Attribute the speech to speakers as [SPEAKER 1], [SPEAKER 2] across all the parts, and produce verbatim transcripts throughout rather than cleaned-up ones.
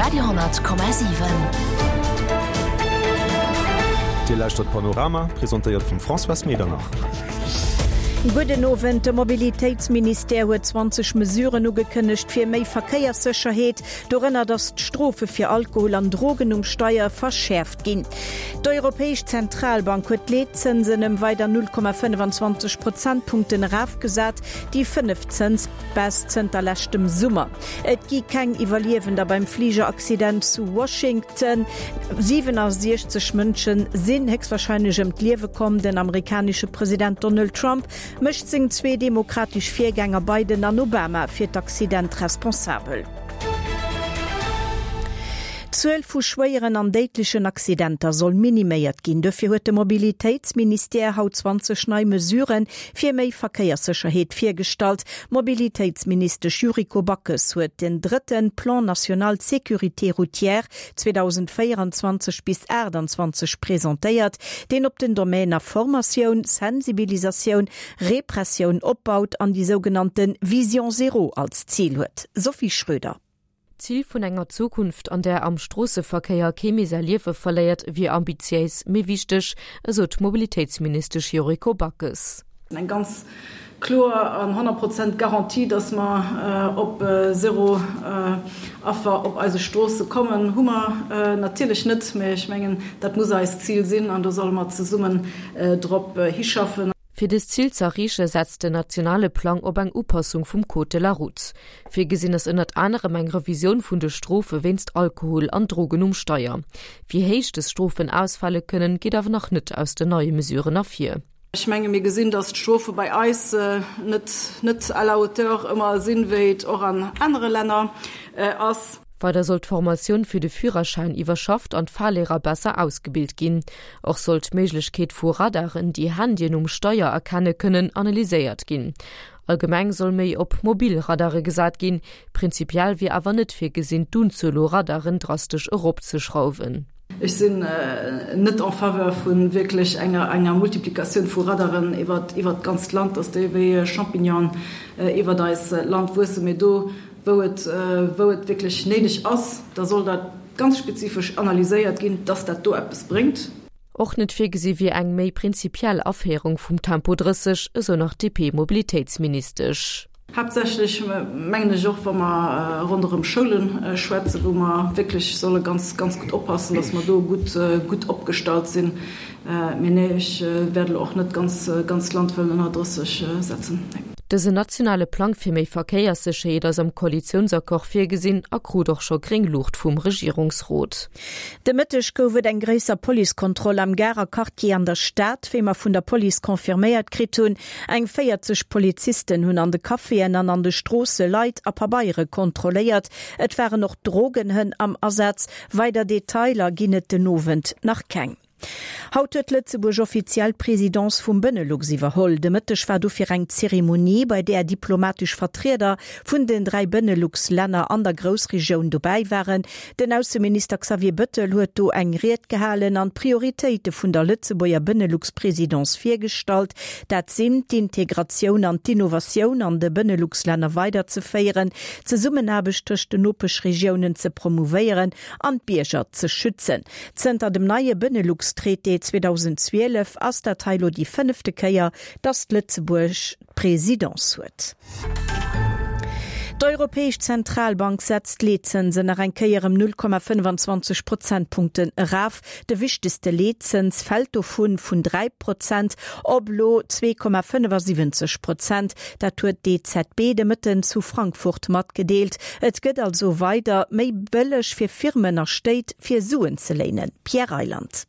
[SPEAKER 1] Radio hundert Komma siwen.
[SPEAKER 2] Dir lauschtert Panorama, presentéiert vum Françoise Medernach.
[SPEAKER 3] Gudden Owend, De Mobilitéitsministère huet zwanzeg Mesuren ugekënnegt fir méi Verkéierssécherheet, dorënner datt d'Strofe fir Alkohol an Drogen um Steier verschäerft ginn. D'Europäesch Zentralbank huet d'Leetzënsen ëm weider null Komma fënnefenzwanzeg Prozentpunkten erafgesat, déi fënneft Zënsbaisse zënter leschtem Summer. Et gi keng Iwwerliewender beim Fligeraccident zu Washington. siwenasiechzeg Mënsche sinn héchstwarscheinlech ëm d'Liewe komm. Den amerikanesche President Donald Trump mécht seng zwee demokratesch Virgänger Biden an Obama fir d'Accident responsabel. D'Zuel vu schwéieren an déidlechen Accidenter soll miniméiert ginn. Dofir huet de Mobilitéitsministère haut zwanzeg nei Mesurë fir méi Verkéierssécherheet virgestallt. D'Mobilitéitsministesch Yuriko Backes huet den drëtten Plan national de sécurité routière zweedausendvéierenzwanzeg bis aachtanzwanzeg presentéiert, deen op den Domäner Formatioun, Sensibilisatioun, Repressioun opbaut an déi sougenannte Vision zéro als Zil huet. Sophie Schröder.
[SPEAKER 4] D'Zil vun enger Zukunft, an där am Stroosseverkéier kee méi säi Liewe verléiert, wier ambitiéis, mee wichteg, esou d'Mobilitéitsministesch Yuriko Backes.
[SPEAKER 5] Eng ganz kloer an honnert Prozent Garantie, dass mer op zéro Affer op eise Stroosse kommen, hu mer natierlech net. Mä ech mengen, dat muss eist Zil sinn an do solle mer zesummen drop hischaffen.
[SPEAKER 4] Fir dëst Zil ze erreeche setzt den nationale Plang op eng Upassung vum Code de la Route. Virgesinn ass ënnert anerem eng Revisioun vun de Strofe wéinst Alkohol an Drogen um Steier. Wéi héich dës Strofen ausfale kënnen, geet awer nach net aus den neie Mesuren ervir.
[SPEAKER 5] Ech menge mir gesinn, datt d'Strofe bei eis net net à la hauteur ëmmer sinn, wéi et och an anere Länner ass.
[SPEAKER 4] Weider soll d'Formatioun fir de Führerschäin iwwerschafft an d'Fahrlehrer besser ausgebilt ginn. Och soll d'Méiglechkeet vu Radaren, déi Handyen um Steier erkenne kënnen, analyséiert ginn. Allgemeng soll méi op mobil Radare gesat ginn. Prinzipiell wier awer net virgesinn, d'Unzuel u Radaren drastesch eropzeschrauwen.
[SPEAKER 5] Ech sinn net en faveur vu wierklech enger enger Multiplikatioun vu Radaren iwwer iwwer d'ganzt Land, dass déi wéi Champignonen iwwert eis Land wuessen. Mee do, wou et wou et wierklech néideg ass, da soll dat ganz spezifesch analyséiert ginn, dass dat do eppes bréngt.
[SPEAKER 4] Och net virgesi wier eng méi prinzipiell Aféierung vum Tempo drësseg, esou nach d'DP-Mobilitéitsministesch.
[SPEAKER 5] Haaptsächlech mengen ech och, wa mer ronderëm Schoule schwätzen, wou mer wierklech solle ganz, ganz gutt oppassen, dass mer do gutt, gutt opgestallt sinn. Mee nee, ech wäert elo och net d'ganz, ganz Land wëllen ënner drësseg setzen, nee.
[SPEAKER 4] Dësen nationale Plang fir méi Verkéierssécherheet ass am Koalitiounsaccord virgesinn a krut och scho gréng Luucht vum Regierungsrot.
[SPEAKER 3] De Mëtteg gouf et eng gréisser Policekontroll am Garer Quartier an der Stad, wéi mer vun der Police confirméiert kritt hunn. Eng véierzeg Polizisten hunn an de Caféen an an de Stroosse Leit a Pabeiere kontrolléiert. Et waren och Drogenhënn am Asaz. Weider Detailer ginn et den Owend nach keng. Haut huet Lëtzebuerg offiziell d'Presidence vum Benelux iwwerholl. De Mëtteg war dofir eng Zeremonie, bei där diplomatesch Vertrieder vun den dräi Benelux-Länner an der Groussregioun dobäi waren. Den Ausseminister Xavier Bettel huet do eng Ried gehalen an d'Prioritéite vun der Lëtzebuerger Benelux-Presidence virgestallt. Dat sinn d'Integratioun an d'Innovatioun an de Benelux-Länner weiderzeféieren, d'Zesummenaarbecht tëscht den Nopeschregiounen ze promouvéieren an d'Bierger ze schützen. Zënter dem neie Benelux-Traité zweedausendzwielef ass dat hei lo déi fënnefte Kéier, datt Lëtzebuerg d'Presidence huet. D'Europäesch Zentralbank setzt d'Leetzënsen nach eng Kéier ëm null Komma fënnefenzwanzeg Prozentpunkten eraf. De wichtegste Leetzëns fält dovun vun dräi Prozent op elo zwee Komma fënnefasiwwenzeg Prozent. Dat huet d'E Z B de Mëtten zu Frankfurt matgedeelt. Et gëtt also weider méi bëlleg fir Firmen a Stéit fir Suen ze léinen. Pierre Reyland.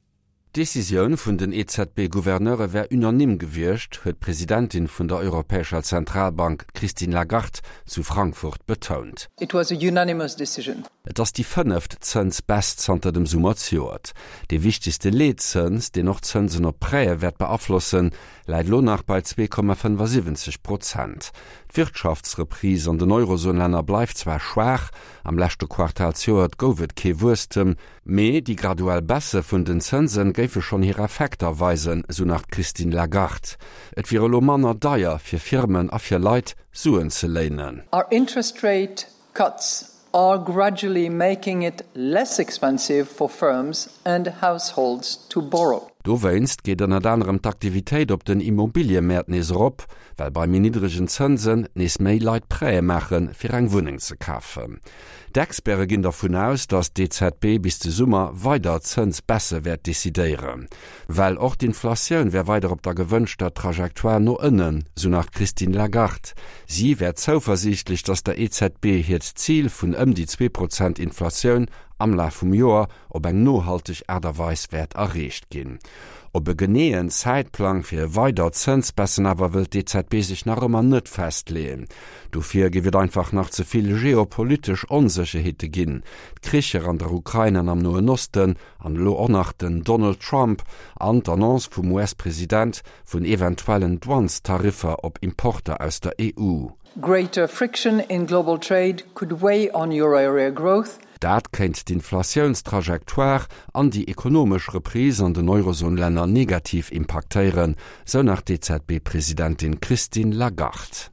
[SPEAKER 6] D'Decisioun vun den E Z B-Gouverneure wär unanime gewiescht, huet d'Presidentin vun der Europäescher Zentralbank, d'Christine Lagarde, zu Frankfurt betount.
[SPEAKER 7] It was a unanimous decision.
[SPEAKER 6] Et ass déi fënneft Zënsbaisse zanter dem Summer zejoert. Dee wichtegste Leetzëns, deen och d'Zënsen op Prêtë wäert beaflossen, läit elo nach bei zwee Komma fënnefasiwwenzeg Prozent. D'Wirtschaftsreprise an den Eurozon-Länner bleift zwar schwaach, am leschte Quartal zejoert gouf et kee Wuesstem, mee déi graduell Baisse vun den Zënse géife schonn hir Effekter weisen, esou nach d'Christine Lagarde. Et wier elo manner deier fir Firmen a fir Leit, Suen ze léinen.
[SPEAKER 7] Our interest rate cuts are gradually making it less expensive for firms and households to borrow.
[SPEAKER 6] Dowéinst geet ënnert anerem d'Aktivitéit op den Immobiliemäert nees erop, well bei méi niddregen Zënsen nees méi Leit Prêtë maachen, fir eng Wunneng ze kafen. D'Experte ginn dervun aus, datt d'EZB bis de Summer weider Zënsbaissë wäert decidéieren. Well och d'Inflatioun wär weider op der gewënschter Trajectoire no ënnen, sou nach d'Christine Lagarde. Si wär zouversiichtlech, datt der EZB hiert Zil vun ëm déi zwee Prozent Inflatioun am Laf vum Joer op eng nohalteg Aart a Weis wäert erreecht ginn. Op e geneeën Zäitplang fir weider Zënsbaissen awer wëllt d'EZB sech nach ëmmer net festleeën. Dofir géif et einfach nach ze vill geopolitesch Onsécherheete ginn, d'Kricher an der Ukrain an am Noen Osten an elo och nach den Donald Trump an d'Annonce vum US-President vun eventuellen Douanestariffer op Importer aus der EU.
[SPEAKER 7] Greater friction in global trade could weigh on euro area growth.
[SPEAKER 6] Dat kéint d'Inflatiounstrajectoire an déi ekonomesch Reprise an den Eurozon-Länner negativ impaktéieren, sou nach d'EZB-Presidentin Christine Lagarde.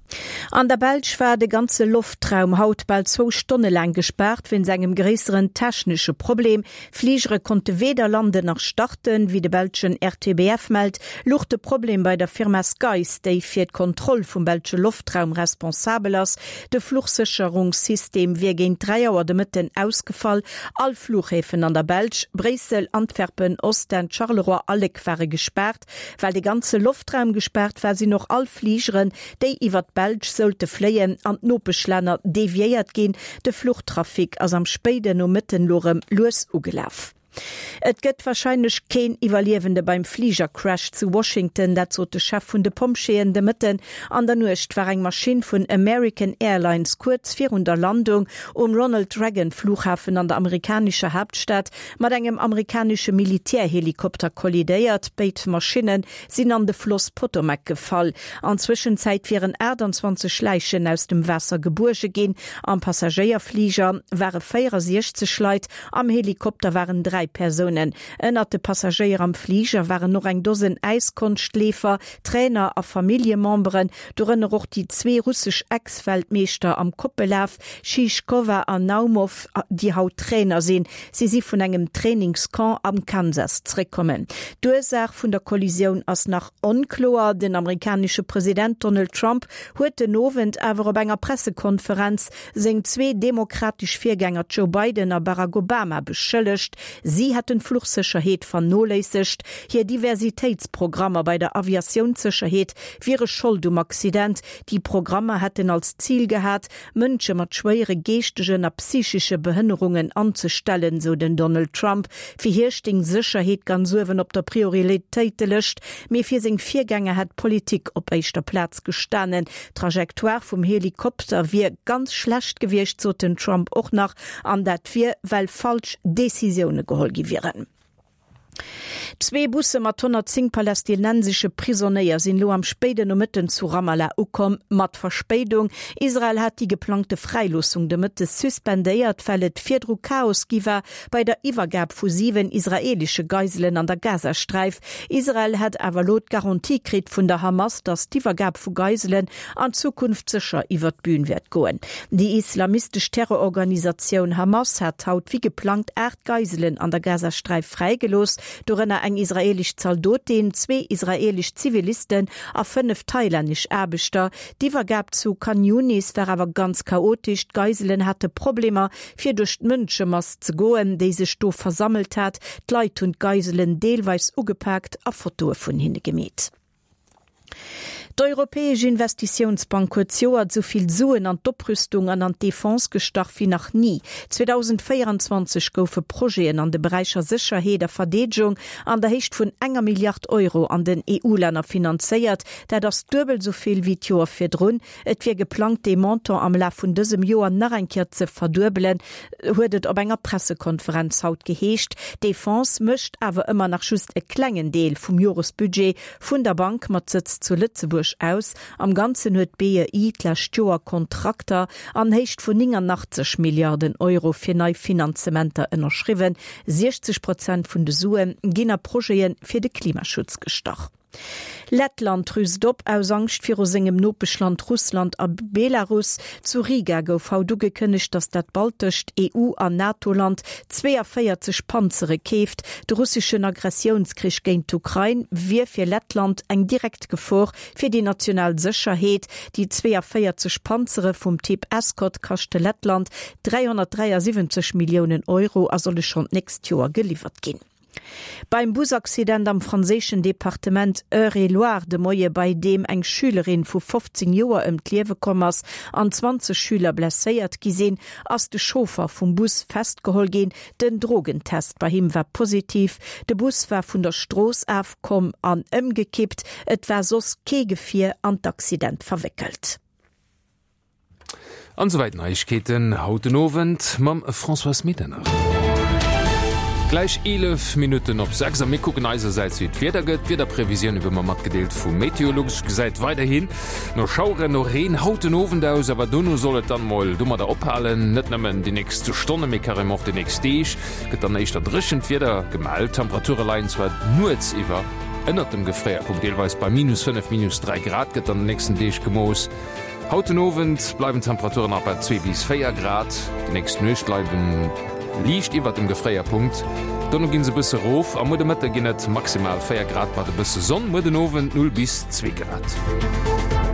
[SPEAKER 3] An der Belsch war de ganze Loftraum haut bal zwou Stonne laang gespaart wéinst engem gréisseren technesche Problem. Fligere konnte weder landen nach starten, wéi de belschen RTBF mellt, louch de Problem bei der Firma Skeyes, déi fir d'Kontroll vum belsche Loftraum responsabel ass. De Fluchsécherungssystem wier géint dräi Auer de Mëtten ausgefall. All Fluchhäfen an der Belsch, Bréissel, Antwerpen, Ostend, Charleroi a Léck ware gespaart. Well de ganze Loftraum gespaart war, sinn och all Fligeren, déi iwwer d'Belsch sollte fléien, an d'Nopeschlänner deviéiert ginn. De Fluchtrafic ass am spéiden Nomëtten lo rëm lues ugelaf. Et gëtt warscheinlech keen Iwwerliewende beim Fligercrash zu Washington, dat sot de Chef vun de Pompjeeën de Mëtten. An der Nuecht war eng Maschinn vun American Airlines kuerz virun der Landung um Ronald Reagan Flughafen an der amerikanescher Haaptstad mat engem amerikanesche Militärhelikopter kollidéiert. Béid Maschinne sinn an de Floss Potomac gefall. An Zwëschenzäit wieren aachtanzwanzeg Läichen aus dem Waasser gebuerge ginn. Am Passagéierfliger ware véierasiechzeg Leit, am Helikopter waren dräi Persounen. Ënnert de Passagéier am Fliger waren och eng Dosen Äiskonschtleefer, Trainer a Familljememberen, dorënner och déi zwee russesch Ex-Weltmeeschter am Koppellaf, Schischkowa an Naumov, déi haut Trainer sinn. Si si vun engem Trainingscamp am Kansas zréckkommen. D'Ursaach vun der Kollisioun ass nach onkloer. Den amerikanesche President Donald Trump huet den Owend awer op enger Pressekonferenz seng zwee demokratesch Virgänger Joe Biden a Barack Obama beschëllegt, si hätten d'Fluchsécherheet vernoléissegt, hir Diversitéitsprogrammer bei der Aviatiounssécherheet wiere Schold um Accident. Déi Programmer hätten als Zil gehat, Mënsche mat schwéiere geeschtegen a psychesche Behënnerungen anzestellen, sou den Donald Trump. Fir hie stéing Sécherheet ganz uewen op der Prioritéitelëscht, mee fir seng Virgänger hätt Politik op éischter Plaz gestanen. D'Trajectoire vum Helikopter wier ganz schlecht gewiescht, sot den Trump och nach, an dat wier, well falsch Decisioune geholl gi wieren. Zwee Busse mat honnertzéng palästinensesche Prisonéier sinn elo am spéiden Nomëtten zu Ramallah ukomm, mat Verspéidung. Israel hat déi geplangte Fräiloossung de Mëtte suspendéiert, well et virdru Chaos gi war bei der Iwwergab vu siwen israeelesche Geiselen an der Gazasträif. Israel hätt awer elo d'Garantie kritt vun der Hamas, datt d'Iwwergab vu Geiselen an Zukunft sécher iwwer d'Bün wäert goen. Déi islamistesch Terrororganisatioun Hamas hat haut wéi geplangt aacht Geiselen an der Gazasträif fräigelooss, dorënner eng israeelesch Zaldotin, zwee israeelesch Zivilisten a fënnef thailännesch Aarbechter. D'Iwwergab zu Khan Younis war awer ganz chaotesch, d'Geiselen hate Problemer, fir duerch d'Mënschemass ze goen, déi sech do versammelt hat. D'Leit hunn d'Geiselen deelweis ugepaakt a Fotoe vun hinne gemeet. D'Europäesch Investitiounsbank huet zejoert esou vill Suen an d'Oprüstung an an d'Defense gestach wéi nach ni. zweedausendvéierenzwanzeg goufe Projeten an de Beräicher Sécherheet a Verdeedegung an der Héicht vun enger Milliard Euro an den E U-Länner finanzéiert. Dat ass duebel esou vill wéi d'Joer virdrun. Et wier geplangt, dee Montant am Laf vun dësem Joer nach eng Kéier ze verduebelen, huet et op enger Pressekonferenz haut geheescht. D'Defense mécht awer ëmmer nach just e klengen Deel vum Joresbudget vun der Bank mat Sëtz zu Lëtzebuerg aus. Am Ganzen huet d'BEI d'lescht Joer Kontrakter an Héicht vun néngannachtzeg Milliarden Euro fir nei Finanzementer ënnerschriwwen. siechzeg Prozent vun de Sue ginn a Projete fir de Klimaschutz gestach. Lettland rüst op aus Angscht viru sengem Nopeschland Russland a Belarus. Zu Riga gouf haut ugekënnegt, datt dat baltescht E U an NATO-Land zweeënvéierzeg Panzere keeft. De russeschen Agressiounskrich géint d'Ukrain wier fir Lettland eng direkt Gefor fir déi national Sécherheet. Déi zweeënvéierzeg Panzere vum Typ Escort kaschte Lettland dräihonnertdräiasiwwenzeg Milliounen Euro a solle schonn d'nächst Joer geliwwert ginn. Beim Busaccident am franséischen Departement Eure-et-Loir de Moie, bei deem eng Schülerin vu fofzéng Joer ëm d'Liewe komm ass an zwanzeg Schüler blesséiert gi sinn, ass de Chauffer vum Bus festgeholl ginn. Den Drogentest bei him war positiv. De Bus war vun der Strooss ofkomm an ëmgekippt. Et war soss kee Gefier an d'Accident verwéckelt.
[SPEAKER 1] An souwäit Neiegkeeten haut den Owend mam Françoise Medernach. Gläich eelef Minutten op sechs a mir kucken eisersäits wéi d'Wieder gëtt. D'Wiederprevisioun wéi mer matgedeelt vu Meteolux gesäit weiderhin no Schaueren, no Reen haut den Owend aus, awer dono soll et dann mol domadder ophalen. Net nëmmen déi nächst Stonne mee carrément och déi nächst Deeg gëtt dann éischter dréchent Wieder gemellt. D'Temperature leien zwar nuets iwwer ënnert dem Gefréierpunkt, deelweis bei minus fënnef, minus dräi Grad gëtt an den nächsten Deeg gemooss. Haut den Owend bleiwen d'Temperaturen nach bei zwee bis véier Grad, déi nächst Nuecht bleiwen liicht iwwert dem Gefréierpunkt, dono ginn se e bësse rof a muer de Mëtte ginn et maximal véier Grad mat e bësse Sonn, muer den Owend null bis zwee Grad.